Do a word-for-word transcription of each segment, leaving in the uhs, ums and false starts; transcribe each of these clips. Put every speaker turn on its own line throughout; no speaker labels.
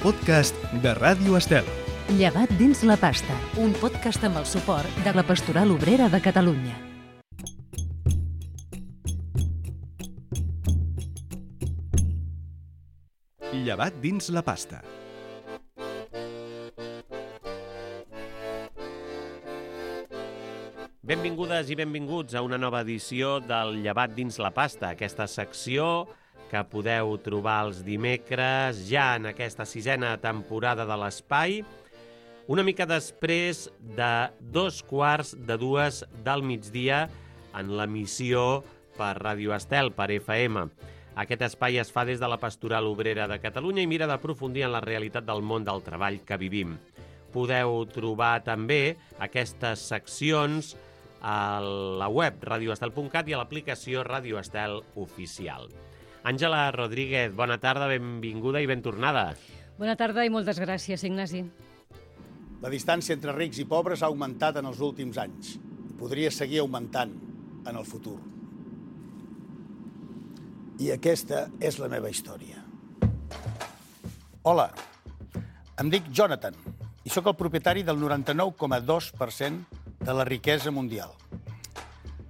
podcast de Ràdio Estel.
Llevat dins la pasta, un podcast amb el suport de la Pastoral Obrera de Catalunya.
Llevat dins la pasta.
Benvingudes i benvinguts a una nova edició del Llevat dins la pasta, aquesta secció que podeu trobar els dimecres ja en aquesta sisena temporada de l'Espai, una mica després de dos quarts de dues del migdia en l'emissió per Ràdio Estel, per F M. Aquest espai es fa des de la Pastoral Obrera de Catalunya i mira d'aprofundir en la realitat del món del treball que vivim. Podeu trobar també aquestes seccions a la web radio estel punt cat i a l'aplicació Ràdio Estel Oficial. Àngela Rodríguez, bona tarda, benvinguda i ben tornada.
Bona tarda i moltes gràcies, Ignasi.
La distància entre rics i pobres ha augmentat en els últims anys i podria seguir augmentant en el futur. I aquesta és la meva història. Hola, em dic Jonathan i sóc el propietari del noranta-nou coma dos per cent de la riquesa mundial.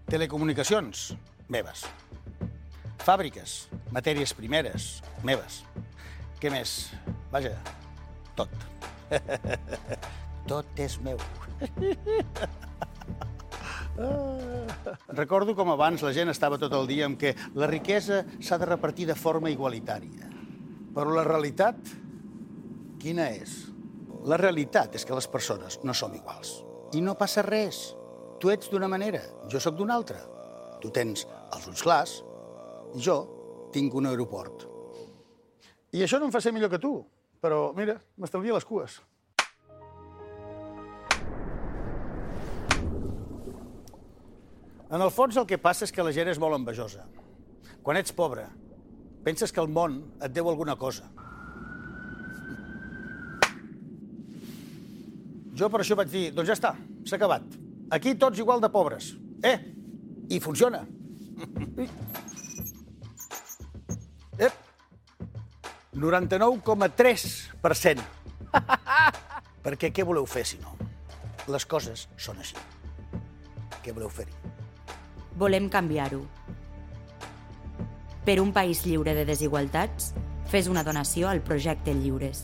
Telecomunicacions, meves. Fàbriques, matèries primeres, meves. Què més? Vaja, tot. Tot és meu. Recordo com abans la gent estava tot el dia amb que la riquesa s'ha de repartir de forma igualitària. Però la realitat, quina és? La realitat és que les persones no som iguals. I no passa res. Tu ets d'una manera, jo sóc d'una altra. Tu tens els ulls clars i jo tinc un aeroport. I això no em fa ser millor que tu, però mira, m'estalvia les cues. En el fons el que passa és que la gent és molt envejosa. Quan ets pobre, penses que el món et deu alguna cosa. Jo per això vaig dir, doncs ja està, s'ha acabat. Aquí tots igual de pobres. Eh, i funciona. Ep, noranta-nou coma tres per cent. Perquè què voleu fer, si no? Les coses són així. Què voleu fer-hi?
Volem canviar-ho. Per un país lliure de desigualtats, fes una donació al projecte Lliures.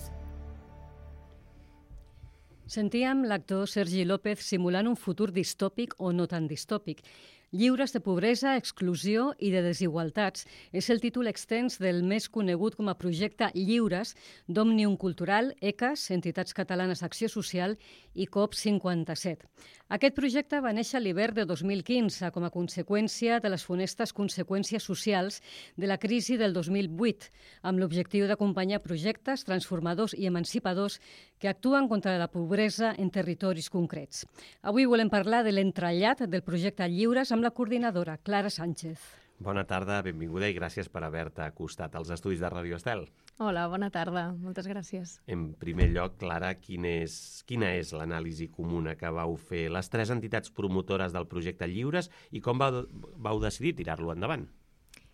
Sentíem l'actor Sergi López simulant un futur distòpic o no tan distòpic. Lliures de pobresa, exclusió i de desigualtats és el títol extens del més conegut com a projecte Lliures d'Òmnium Cultural, E C A S, Entitats Catalanes d'Acció Social i COP cinquanta-set. Aquest projecte va néixer a l'hivern de dos mil quinze com a conseqüència de les funestes conseqüències socials de la crisi del dos mil vuit, amb l'objectiu d'acompanyar projectes transformadors i emancipadors que actuen contra la pobresa en territoris concrets. Avui volem parlar de l'entrellat del projecte Lliures amb la coordinadora Clara Sánchez.
Bona tarda, benvinguda i gràcies per haver-te acostat als estudis de Ràdio Estel.
Hola, bona tarda. Moltes gràcies.
En primer lloc, Clara, quin és, quina és l'anàlisi comuna que vau fer les tres entitats promotores del projecte Lliures i com vau, vau decidir tirar-lo endavant?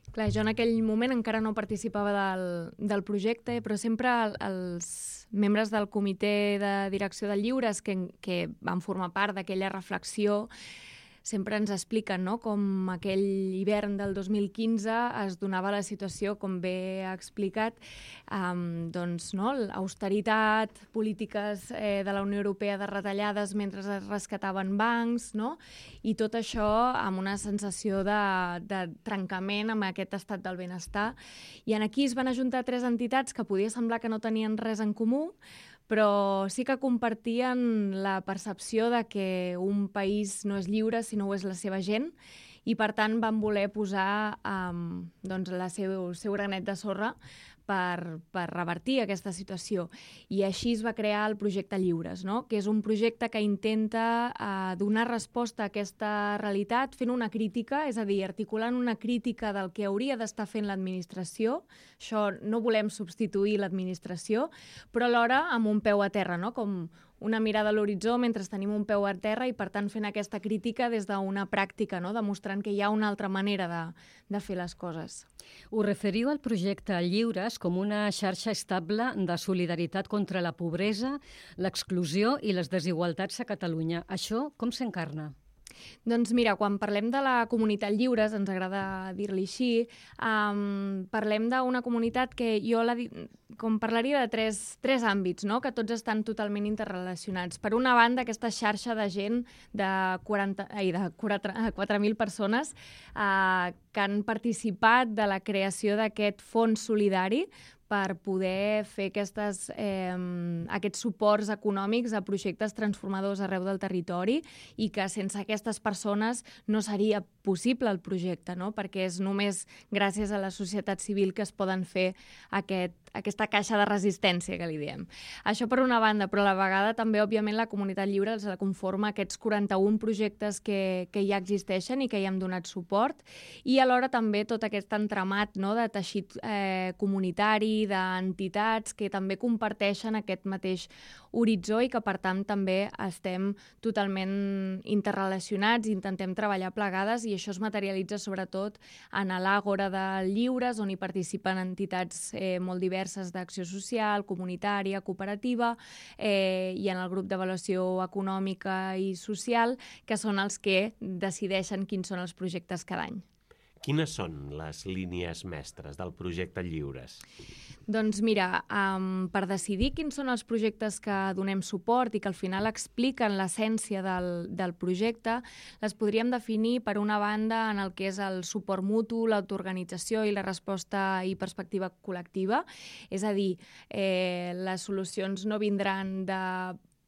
Clar, jo en aquell moment encara no participava del, del projecte, però sempre els membres del comitè de direcció de Lliures que, que van formar part d'aquella reflexió sempre ens expliquen, no?, com aquell hivern del dos mil quinze es donava la situació, com bé ha explicat, um, doncs, no?, l'austeritat, polítiques eh, de la Unió Europea de retallades mentre es rescataven bancs, no?, i tot això amb una sensació de, de trencament amb aquest estat del benestar. I en aquí es van ajuntar tres entitats que podia semblar que no tenien res en comú, però sí que compartien la percepció de que un país no és lliure si no ho és la seva gent i, per tant, van voler posar um, doncs, la seu, el seu granet de sorra per, per revertir aquesta situació. I així es va crear el projecte Lliures, no?, que és un projecte que intenta uh, donar resposta a aquesta realitat fent una crítica, és a dir, articulant una crítica del que hauria d'estar fent l'administració. Això no volem substituir l'administració, però alhora amb un peu a terra, no?, com una mirada a l'horitzó mentre tenim un peu a terra i, per tant, fent aquesta crítica des d'una pràctica, no? Demostrant que hi ha una altra manera de, de fer les coses.
Us referiu al projecte Lliures com una xarxa estable de solidaritat contra la pobresa, l'exclusió i les desigualtats a Catalunya. Això com s'encarna?
Doncs mira, quan parlem de la comunitat Lliures, ens agrada dir-li així, um, parlem d'una comunitat que jo la, com parlaria de tres, tres àmbits, no? Que tots estan totalment interrelacionats. Per una banda, aquesta xarxa de gent de, quaranta, ai, de quatre mil persones uh, que han participat de la creació d'aquest fons solidari per poder fer aquestes, eh, aquests suports econòmics a projectes transformadors arreu del territori i que sense aquestes persones no seria possible el projecte, no? Perquè és només gràcies a la societat civil que es poden fer aquest, aquesta caixa de resistència que li diem. Això per una banda, però a la vegada també, òbviament, la comunitat lliure els la conforma aquests quaranta-un projectes que, que ja existeixen i que hi hem donat suport, i alhora també tot aquest entramat, no?, de teixit eh, comunitari, d'entitats que també comparteixen aquest mateix horitzó i que, per tant, també estem totalment interrelacionats i intentem treballar plegades, i això es materialitza sobretot en l'Àgora de Lliures, on hi participen entitats eh, molt diverses d'acció social, comunitària, cooperativa, eh, i en el grup d'avaluació econòmica i social, que són els que decideixen quins són els projectes cada any.
Quines són les línies mestres del projecte Lliures?
Doncs mira, um, per decidir quins són els projectes que donem suport i que al final expliquen l'essència del, del projecte, les podríem definir per una banda en el que és el suport mutu, l'autoorganització i la resposta i perspectiva col·lectiva. És a dir, eh, les solucions no vindran de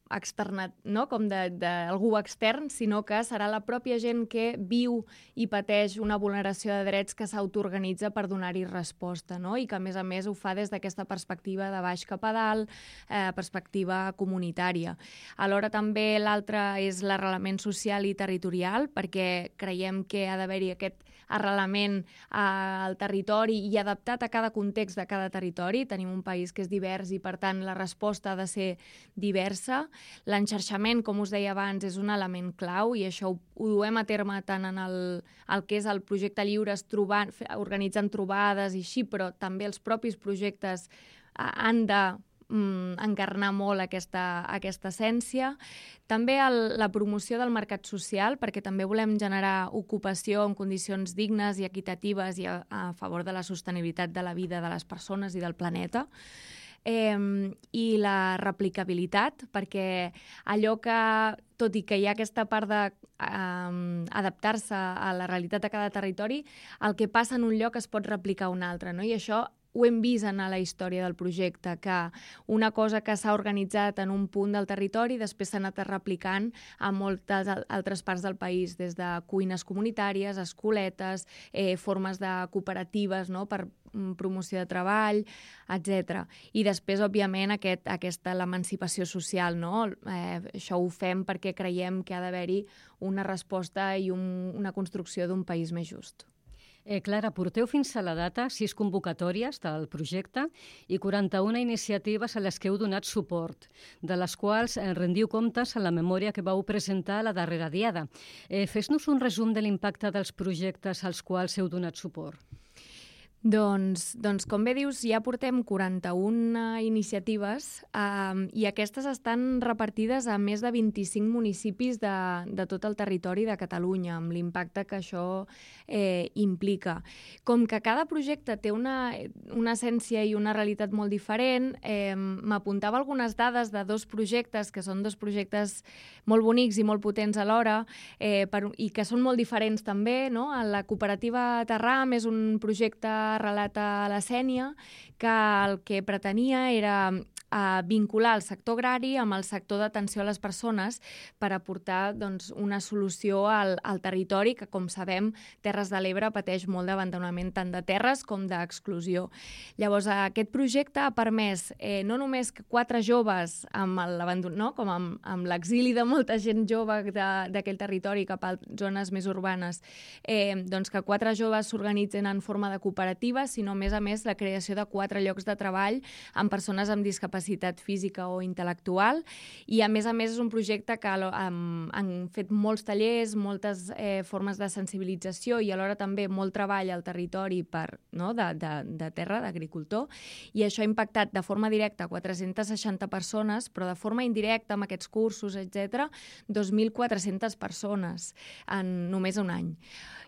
externat, no? Com d'algú extern, sinó que serà la pròpia gent que viu i pateix una vulneració de drets que s'autoorganitza per donar-hi resposta, no? I que, a més a més, ho fa des d'aquesta perspectiva de baix cap a dalt, eh, perspectiva comunitària. Alhora també l'altra és l'arrelament social i territorial, perquè creiem que ha d'haver-hi aquest arrelament al territori i adaptat a cada context de cada territori. Tenim un país que és divers i, per tant, la resposta ha de ser diversa. L'enxarxament, com us deia abans, és un element clau i això ho, ho duem a terme tant en el, el que és el projecte Lliures, trobant, organitzant trobades i així, però també els propis projectes han de mm, encarnar molt aquesta, aquesta essència. També el, la promoció del mercat social, perquè també volem generar ocupació en condicions dignes i equitatives i a, a favor de la sostenibilitat de la vida de les persones i del planeta. Eh, i la replicabilitat, perquè allò que, tot i que hi ha aquesta part d'adaptar-se eh, a la realitat de cada territori, el que passa en un lloc es pot replicar a un altre, no? I això ho hem vist en la història del projecte, que una cosa que s'ha organitzat en un punt del territori després s'ha anat replicant a moltes altres parts del país, des de cuines comunitàries, escoletes, eh, formes de cooperatives, no?, per promoció de treball, etcètera. I després, òbviament, aquest, aquesta l'emancipació social, no? Eh, això ho fem perquè creiem que ha d'haver-hi una resposta i un, una construcció d'un país més just.
Eh, Clara, porteu fins a la data sis convocatòries del projecte i quaranta-una iniciatives a les que heu donat suport, de les quals eh, rendiu comptes a la memòria que vau presentar a la darrera diada. Eh, Fes-nos un resum de l'impacte dels projectes als quals heu donat suport.
Doncs, doncs, com bé dius, ja portem quaranta-una iniciatives eh, i aquestes estan repartides a més de vint-i-cinc municipis de, de tot el territori de Catalunya, amb l'impacte que això eh, implica. Com que cada projecte té una, una essència i una realitat molt diferent, eh, m'apuntava algunes dades de dos projectes, que són dos projectes molt bonics i molt potents alhora, eh, per, i que són molt diferents també, no? La cooperativa Terram és un projecte arrelat a la Sénia, que el que pretenia era a vincular el sector agrari amb el sector d'atenció a les persones per aportar doncs, una solució al, al territori que, com sabem, Terres de l'Ebre pateix molt d'abandonament tant de terres com d'exclusió. Llavors, aquest projecte ha permès eh, no només que quatre joves amb l'abandon, no? com amb, amb l'exili de molta gent jove d'aquell territori cap a zones més urbanes, eh, doncs que quatre joves s'organitzen en forma de cooperativa, sinó, a més a més, la creació de quatre llocs de treball amb persones amb discapacitat discapacitat física o intel·lectual, i a més a més és un projecte que um, han fet molts tallers, moltes eh, formes de sensibilització i alhora també molt treball al territori per, no, de, de, de terra, d'agricultor, i això ha impactat de forma directa a quatre-centes seixanta persones, però de forma indirecta amb aquests cursos, etcètera, dos mil quatre-centes persones en només un any.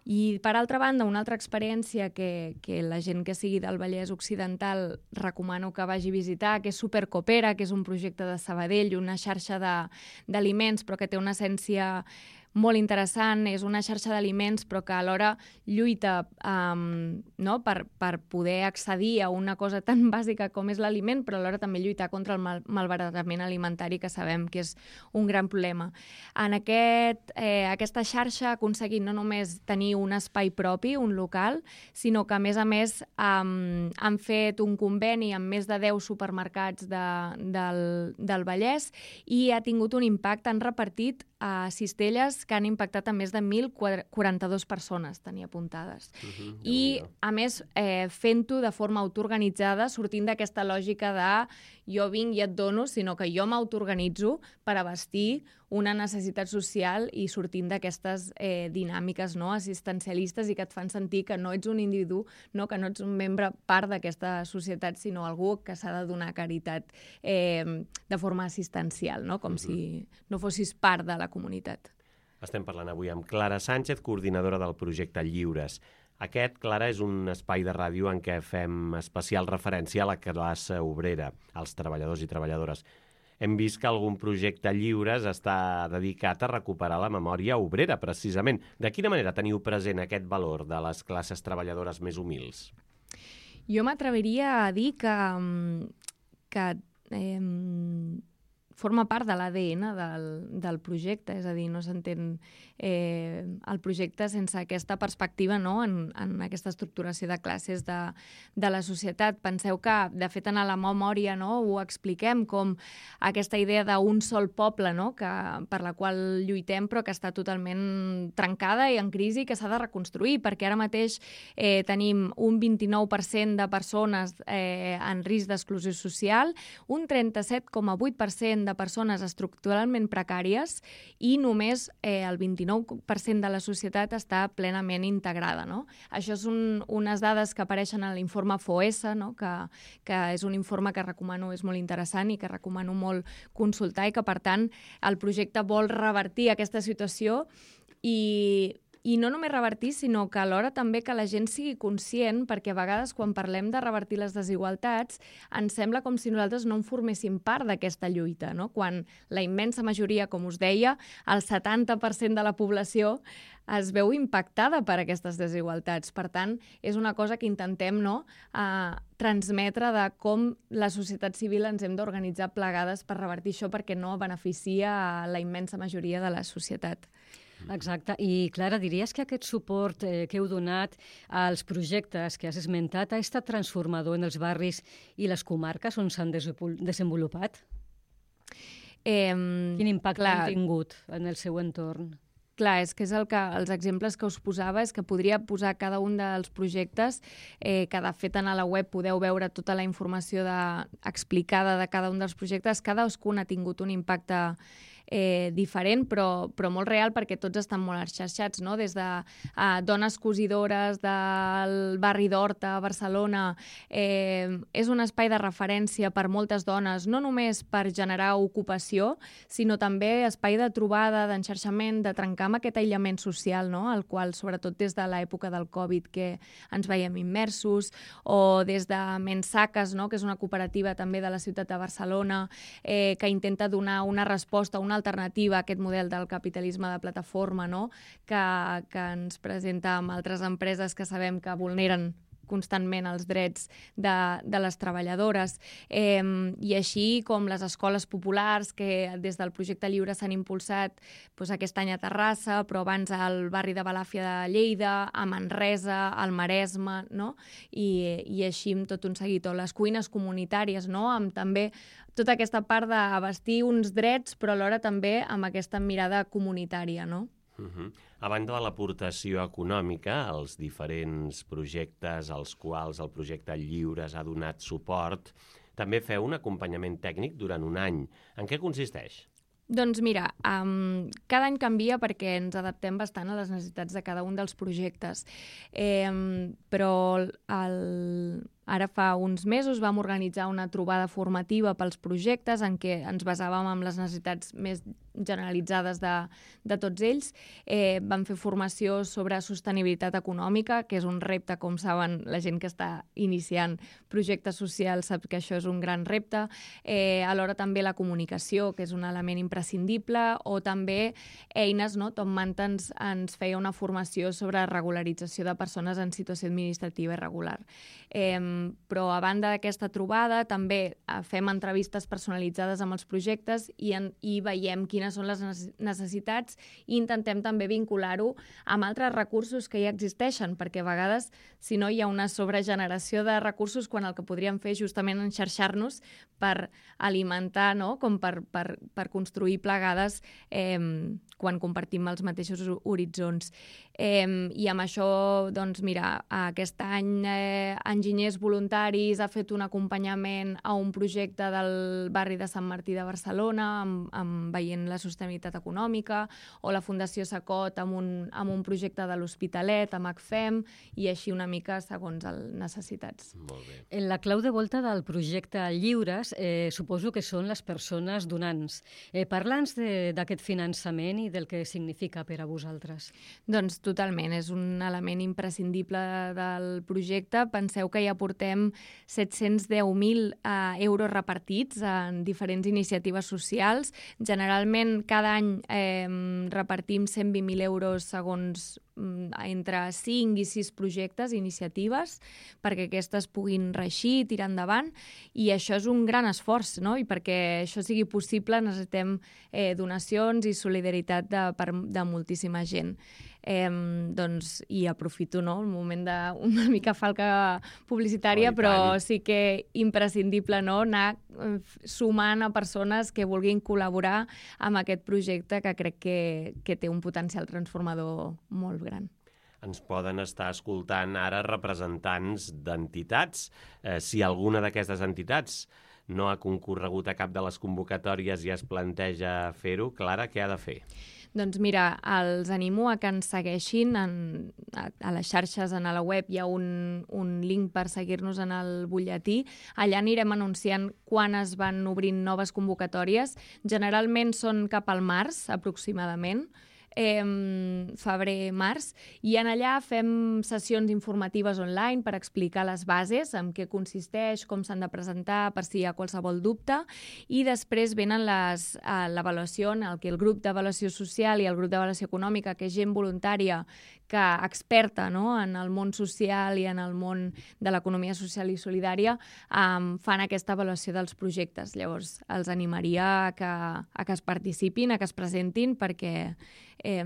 I, per altra banda, una altra experiència que, que la gent que sigui del Vallès Occidental recomano que vagi a visitar, que és Supercoopera, que és un projecte de Sabadell, una xarxa d'aliments, però que té una essència molt interessant, és una xarxa d'aliments però que alhora lluita um, no? per, per poder accedir a una cosa tan bàsica com és l'aliment, però alhora també lluitar contra el mal malbaratament alimentari, que sabem que és un gran problema. En aquest, eh, aquesta xarxa ha aconseguit no només tenir un espai propi, un local, sinó que a més a més um, han fet un conveni amb més de deu supermercats de, del, del Vallès i ha tingut un impacte, han repartit a cistelles que han impactat a més de mil quaranta-dues persones, tenia apuntades. Uh-huh, I, a més, eh, fent-ho de forma autoorganitzada, sortint d'aquesta lògica de jo vinc i et dono, sinó que jo m'autoorganitzo per abastir una necessitat social i sortint d'aquestes eh, dinàmiques no, assistencialistes i que et fan sentir que no ets un individu, no, que no ets un membre part d'aquesta societat, sinó algú que s'ha de donar caritat eh, de forma assistencial, no? Com uh-huh. si no fossis part de la comunitat.
Estem parlant avui amb Clara Sánchez, coordinadora del projecte Lliures. Aquest, Clara, és un espai de ràdio en què fem especial referència a la classe obrera, als treballadors i treballadores. Hem vist que algun projecte Lliures està dedicat a recuperar la memòria obrera, precisament. De quina manera teniu present aquest valor de les classes treballadores més humils?
Jo m'atreviria a dir que, que eh, forma part de l'A D N del, del projecte, és a dir, no s'entén eh, el projecte sense aquesta perspectiva no? en, en aquesta estructuració de classes de, de la societat. Penseu que, de fet, en la memòria no? ho expliquem com aquesta idea d'un sol poble no? que, per la qual lluitem però que està totalment trencada i en crisi i que s'ha de reconstruir, perquè ara mateix eh, tenim un vint-i-nou per cent de persones eh, en risc d'exclusió social, un trenta-set coma vuit per cent de persones estructuralment precàries i només eh, el vint-i-nou per cent de la societat està plenament integrada. No? Això són unes dades que apareixen a l'informe FOESA, no? que, que és un informe que recomano, és molt interessant i que recomano molt consultar i que, per tant, el projecte vol revertir aquesta situació i I no només revertir, sinó que alhora també que la gent sigui conscient, perquè a vegades quan parlem de revertir les desigualtats ens sembla com si nosaltres no en forméssim part d'aquesta lluita, no? Quan la immensa majoria, com us deia, el setanta per cent de la població es veu impactada per aquestes desigualtats. Per tant, és una cosa que intentem no, eh, transmetre de com la societat civil ens hem d'organitzar plegades per revertir això perquè no beneficia a la immensa majoria de la societat.
Exacte. I, Clara, diries que aquest suport eh, que heu donat als projectes que has esmentat ha estat transformador en els barris i les comarques on s'han desenvolupat?
Eh,
Quin impacte
clar,
han tingut en el seu entorn?
Clar, és que és el que els exemples que us posava és que podria posar cada un dels projectes eh, que de fet a la web podeu veure tota la informació de, explicada de cada un dels projectes. Cadascun ha tingut un impacte Eh, diferent, però, però molt real perquè tots estan molt xarxats, no? Des de eh, dones cosidores del barri d'Horta a Barcelona. Eh, és un espai de referència per moltes dones, no només per generar ocupació, sinó també espai de trobada, d'enxarxament, de trencar amb aquest aïllament social, no? El qual, sobretot des de l'època del Covid, que ens veiem immersos, o des de Mensaques, no? Que és una cooperativa també de la ciutat de Barcelona, eh, que intenta donar una resposta, una alternativa a aquest model del capitalisme de plataforma, no? que, que ens presenta amb altres empreses que sabem que vulneren constantment els drets de, de les treballadores. Eh, I així com les escoles populars que des del projecte Lliure s'han impulsat doncs, aquest any a Terrassa, però abans al barri de Balàfia de Lleida, a Manresa, al Maresme, no? I, i així amb tot un seguit. O les cuines comunitàries, no? Amb també tota aquesta part d'abastir uns drets, però alhora també amb aquesta mirada comunitària, no?
Uh-huh. A banda de l'aportació econòmica, els diferents projectes als quals el projecte Lliures ha donat suport, també feu un acompanyament tècnic durant un any. En què consisteix?
Doncs mira, um, cada any canvia perquè ens adaptem bastant a les necessitats de cada un dels projectes. Eh, però el, ara fa uns mesos vam organitzar una trobada formativa pels projectes en què ens basàvem en les necessitats més generalitzades de, de tots ells. Eh, vam fer formació sobre sostenibilitat econòmica, que és un repte, com saben, la gent que està iniciant projectes socials sap que això és un gran repte. Eh, alhora també la comunicació, que és un element imprescindible, o també eines, no? Tom Manta ens, ens feia una formació sobre regularització de persones en situació administrativa irregular. Eh, però a banda d'aquesta trobada també fem entrevistes personalitzades amb els projectes i, en, i veiem quines són les necessitats i intentem també vincular-ho amb altres recursos que ja existeixen, perquè a vegades, si no, hi ha una sobregeneració de recursos quan el que podríem fer és justament enxarxar-nos per alimentar, no? Com per, per, per construir plegades eh, quan compartim els mateixos horitzons. Eh, I amb això, doncs, mira, aquest any eh, Enginyers Voluntaris ha fet un acompanyament a un projecte del barri de Sant Martí de Barcelona amb, amb veient la sostenibilitat econòmica, o la Fundació Sacot amb un, amb un projecte de l'Hospitalet, amb ACFEM, i així una mica segons les necessitats.
Molt bé.
En la clau de volta del projecte Lliures, eh, suposo que són les persones donants. Eh, Parla'ns d'aquest finançament i del que significa per a vosaltres.
Doncs totalment, és un element imprescindible del projecte. Penseu que ja portem set-cents deu mil eh, euros repartits en diferents iniciatives socials. Generalment, cada any eh, repartim cent vint mil euros segons entre cinc i sis projectes, iniciatives, perquè aquestes puguin reeixir i tirar endavant, i això és un gran esforç, no? I perquè això sigui possible necessitem eh, donacions i solidaritat de, per, de moltíssima gent. Eh, doncs, i aprofito, no?, el moment d'una mica falca publicitària, oh, però sí que imprescindible, no?, anar sumant a persones que vulguin col·laborar amb aquest projecte que crec que, que té un potencial transformador molt gran.
Ens poden estar escoltant ara representants d'entitats. Eh, si alguna d'aquestes entitats no ha concorregut a cap de les convocatòries i es planteja fer-ho, Clara, què ha de fer?
Doncs mira, els animo a que ens segueixin en, a, a les xarxes, a la web hi ha un, un link per seguir-nos en el butlletí. Allà anirem anunciant quan es van obrint noves convocatòries. Generalment són cap al març, aproximadament. Eh, febrer-març, i en allà fem sessions informatives online per explicar les bases, en què consisteix, com s'han de presentar, per si hi ha qualsevol dubte, i després venen les, eh, l'avaluació, en el que el grup d'avaluació social i el grup d'avaluació econòmica, que és gent voluntària que experta, no?, en el món social i en el món de l'economia social i solidària, eh, fan aquesta avaluació dels projectes. Llavors, els animaria a que, a que es participin, a que es presentin, perquè Eh,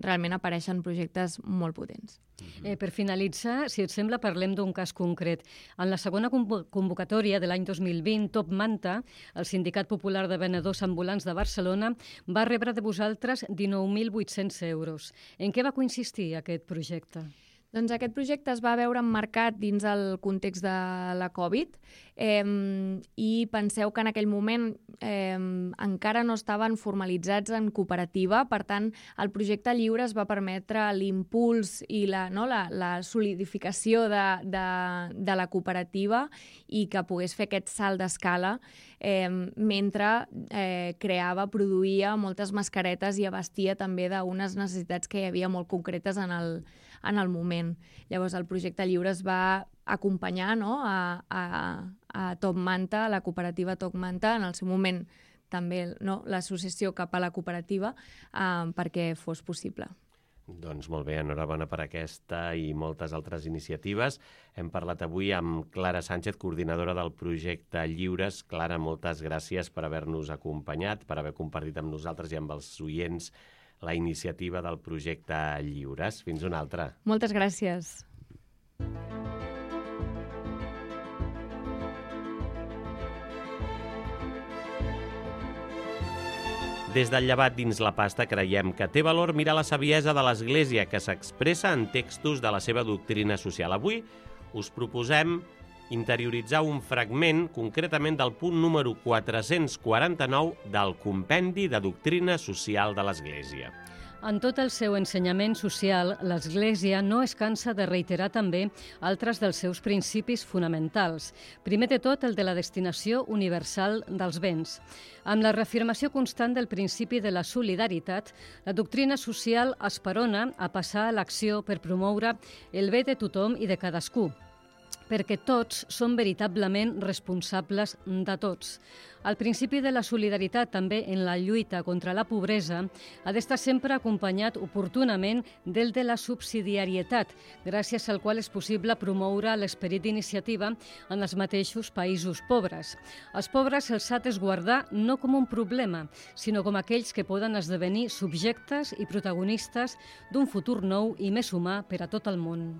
realment apareixen projectes molt potents.
Eh, per finalitzar, si et sembla, parlem d'un cas concret. En la segona convocatòria de l'any dos mil vint, Top Manta, el Sindicat Popular de Venedors Ambulants de Barcelona, va rebre de vosaltres dinou mil vuit-cents euros. En què va consistir aquest projecte?
Doncs aquest projecte es va veure emmarcat dins el context de la Covid eh, i penseu que en aquell moment eh, encara no estaven formalitzats en cooperativa, per tant, el projecte lliure es va permetre l'impuls i la, no, la, la solidificació de, de, de la cooperativa i que pogués fer aquest salt d'escala eh, mentre eh, creava, produïa moltes mascaretes i abastia també d'unes necessitats que hi havia molt concretes en el, en el moment. Llavors, el projecte lliure es va acompanyar, no?, a, a, a Top Manta, a la cooperativa Top Manta, en el seu moment també, no?, l'associació cap a la cooperativa, eh, perquè fos possible.
Doncs molt bé, enhorabona per aquesta i moltes altres iniciatives. Hem parlat avui amb Clara Sánchez, coordinadora del projecte Lliures. Clara, moltes gràcies per haver-nos acompanyat, per haver compartit amb nosaltres i amb els oients la iniciativa del projecte Lliures. Fins una altra.
Moltes gràcies.
Des del Llevat dins la pasta creiem que té valor mirar la saviesa de l'Església que s'expressa en textos de la seva doctrina social. Avui us proposem interioritzar un fragment, concretament del punt número quatre-cents quaranta-nou del Compendi de Doctrina Social de l'Església.
En tot el seu ensenyament social, l'Església no es cansa de reiterar també altres dels seus principis fonamentals. Primer de tot, el de la destinació universal dels béns. Amb la reafirmació constant del principi de la solidaritat, la doctrina social esperona a passar a l'acció per promoure el bé de tothom i de cadascú, perquè tots són veritablement responsables de tots. El principi de la solidaritat també en la lluita contra la pobresa ha d'estar sempre acompanyat oportunament del de la subsidiarietat, gràcies al qual és possible promoure l'esperit d'iniciativa en els mateixos països pobres. Els pobres se'ls ha d'esguardar no com un problema, sinó com aquells que poden esdevenir subjectes i protagonistes d'un futur nou i més humà per a tot el món.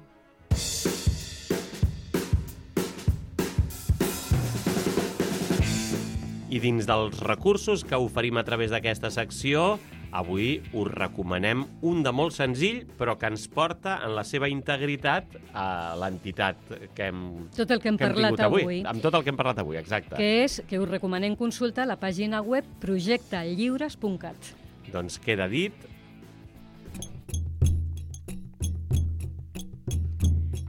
I dins dels recursos que oferim a través d'aquesta secció, avui us recomanem un de molt senzill, però que ens porta en la seva integritat a l'entitat que hem
Tot el que hem
que hem
parlat
tingut avui.
avui.
Amb tot el que hem parlat avui, exacte.
Que és que us recomanem consultar la pàgina web projecte lliures punt cat.
Doncs queda dit.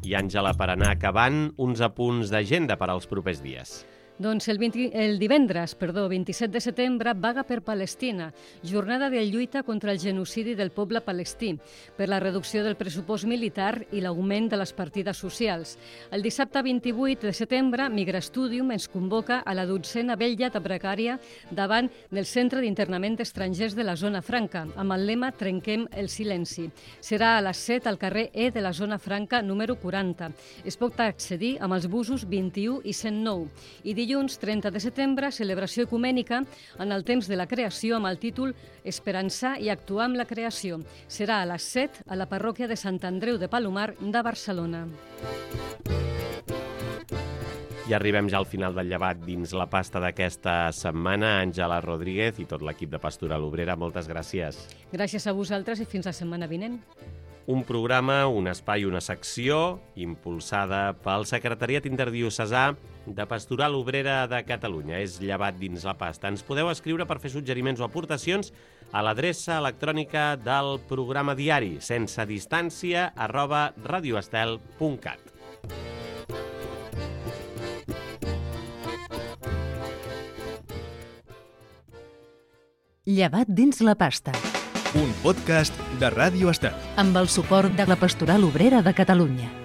I, Àngela, per anar acabant, uns apunts d'agenda per als propers dies.
Doncs el, vint, el divendres, perdó, vint-i-set de setembre, vaga per Palestina, jornada de lluita contra el genocidi del poble palestí, per la reducció del pressupost militar i l'augment de les partides socials. El dissabte vint-i-vuit de setembre, Migrastudium ens convoca a la dotzena vetllada precària davant del Centre d'Internament d'Estrangers de la Zona Franca, amb el lema Trenquem el silenci. Serà a les set al carrer E de la Zona Franca número quaranta. Es pot accedir amb els busos vint-i-u i cent nou. I dilluns trenta de setembre, celebració ecumènica en el temps de la creació amb el títol Esperançar i actuar amb la creació. Serà a les set a la parròquia de Sant Andreu de Palomar de Barcelona.
I arribem ja al final del llevat dins la pasta d'aquesta setmana. Àngela Rodríguez i tot l'equip de Pastoral Obrera, moltes gràcies.
Gràcies a vosaltres i fins la setmana vinent.
Un programa, un espai, una secció impulsada pel Secretariat Interdiocesà de Pastoral Obrera de Catalunya. És Llevat dins la pasta. Ens podeu escriure per fer suggeriments o aportacions a l'adreça electrònica del programa diari sense distància arroba radioestel punt cat.
Llevat dins la pasta.
Un podcast de Ràdio Estel.
Amb el suport de la Pastoral Obrera de Catalunya.